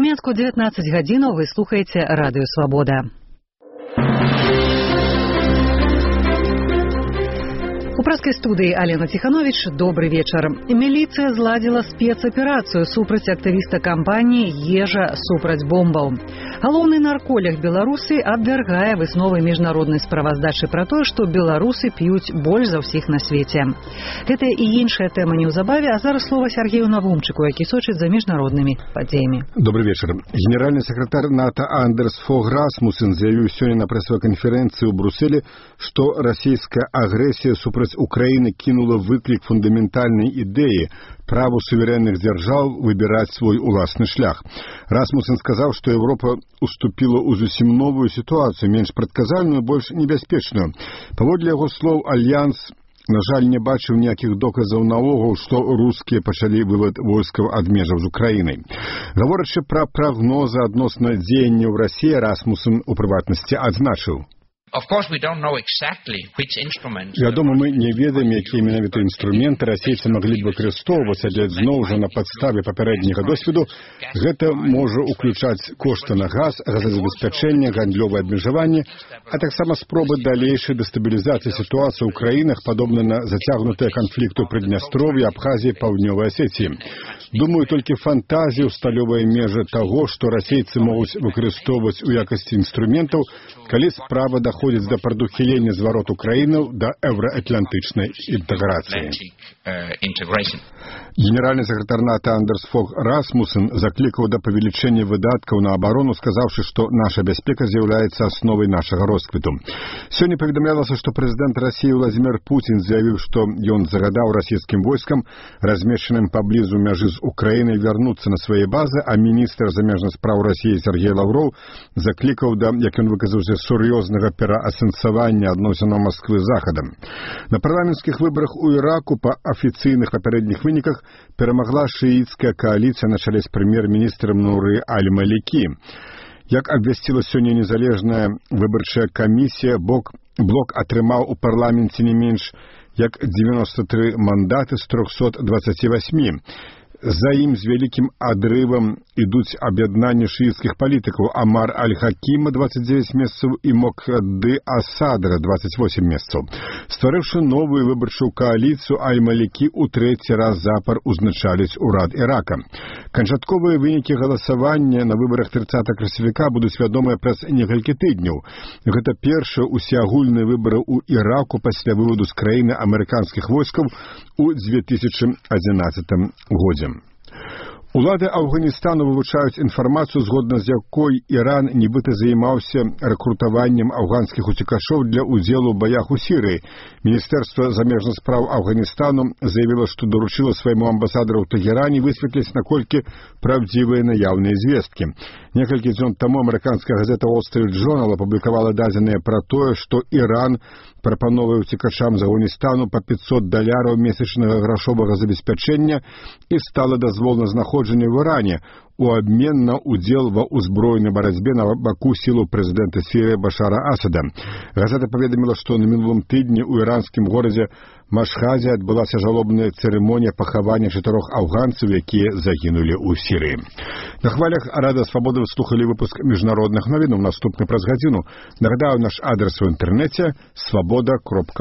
У Мінску 19 гадзінаў вы слухаеце Радыё Свабода. У праскай студыі Алена Ціхановіч, добры вечар. Міліцыя зладзіла спецаперацыю супраць актывіста кампаніі «Ежа супраць бомбаў». Галоўны нарколог Беларуси абвяргае высновы міжнароднай справаздачы пра тое, што беларусы п'юць больш за ўсіх на свеце. Гэта і іншая тэма неўзабаве, а зараз слова Сергею Навумчыку, які сочыць за міжнароднымі падзеямі. Добрый вечер. Генеральный секретарь НАТО Андерс Фог Расмуссен заявіў сёння на прэсавай канферэнцыі ў Брюсселе, што расійская агрэсія супраць Украины кинула выклик фундаментальной идеи праву суверенных держав выбирать свой уласны шлях. Расмуссен сказал, что Европа уступила ў зусім новую ситуацию, менш прадказальную, больш небяспечную. Паводле яго слоў, альянс, на жаль, не бачыў ніякіх доказаў наогул, што рускія пачалі вывод войскаў ад межаў з Украінай. Гаворачы пра прагнозы адносна дзеянняў Расіі, Расмуссен у прыватнасці адзначыў: Вядома, мы не ведаем, якія менавіта інструменты расейцы маглі б выкарыстоўваць, але зноў жа на падставе папярэдняга досведу гэта можа ўключаць кошты на газ, газазабеспячэнне, гандлёвае абмежаванне, а таксама спробы далейшай дэстабілізацыі сітуацыі ў краінах, падобна на зацягнутыя канфлікты ў Прыднястров'і, Абхазіі, Паўднёвай Асетіі. Думаю, толькі фантазію сталёвыя межы таго, што расейцы могуць выкарыстоўваць у якасці інструментаў, калі справа доходзіць да прадухілення звароту краінаў да еўраатлантычнай інтэграцыі. Генеральный секретарь НАТО Андерс Фог Расмуссен заклікаў да павелічэння выдаткаў на абарону, сказаўшы, што наша бяспека з'яўляецца асновай нашага росквіту. Сёння паведамлялася, што прэзідэнт Расіі Владзімір Пуцін заявіў, што ён загадаў расійскім войскам, размешчаным паблізу мяжы з Украінай, вярнуцца на свае базы, а міністр замежных спраў Расіі Сергей Лаўроў заклікаў да, як ён выказаўся, сур'ёзнага пераасэнсавання адносінаў Масквы з Захадам. На парламенцкіх выбарах у Іраку па афіцыйных папярэдніх выніках перамагла шыіцкая кааліцыя на чале з прэм'ер-міністрам Нуры Аль-Малікі. Як абвясціла сёння незалежная выбарчая камісія, блок атрымаў у парламенце не менш як 93 мандаты з 328. За ім з вялікім адрывам ідуць аб'яднанні шыіцкіх палітыкаў Амар Аль-Хакіма 29 месцаў і Мокдды Асадра 28 месцаў. Стварыўшы новую выбарчую кааліцыю, Аль-Малікі ў трэці раз запар узначаліць урад Ірака. Канчатковыя вынікі галасавання на выбарах 30 красавіка будуць вядомыя праз некалькі тыдняў. Гэта першыя усеагульныя выбары ў Іраку пасля выводу з краіны амерыканскіх войскаў у 2011 годзе. Улады Афганістану вывучаюць інфармацыю, згодна з якой Іран нібыта займаўся рэкрутаваннем афганскіх уцекашоў для ўдзелу ў баях у Сірыі. Міністэрства замежных спраў Афганістану заявіла, што даручыла свайму амбасадару ў Тэгеране высветліць, наколькі правдзівыя наяўныя звесткі. Некалькі дзён таму амерыканская газета Wall Street Journal апублікавала дадзеныя пра тое, што Іран прапановвае уцекачам з Афганістану па $500 месячнага грашовага забеспячэння і стала дазвол на знаходжанне в Іране у абмен на удзел ва ўзброенай барацьбе на баку сілаў прэзідэнта Сірыі Башара Асада. Газета паведаміла, што на мінулым тыдні ў іранскім горадзе Машхазе адбылася жалобная цырымонія пахавання 4 афганцаў, якія загінулі ў Сірыі. На хвалях Радыё Свабода вы слухалі выпуск міжнародных навінаў. Наступны праз гадзіну. Нагадаю, наш адрес у інтэрнэце свабода.орг.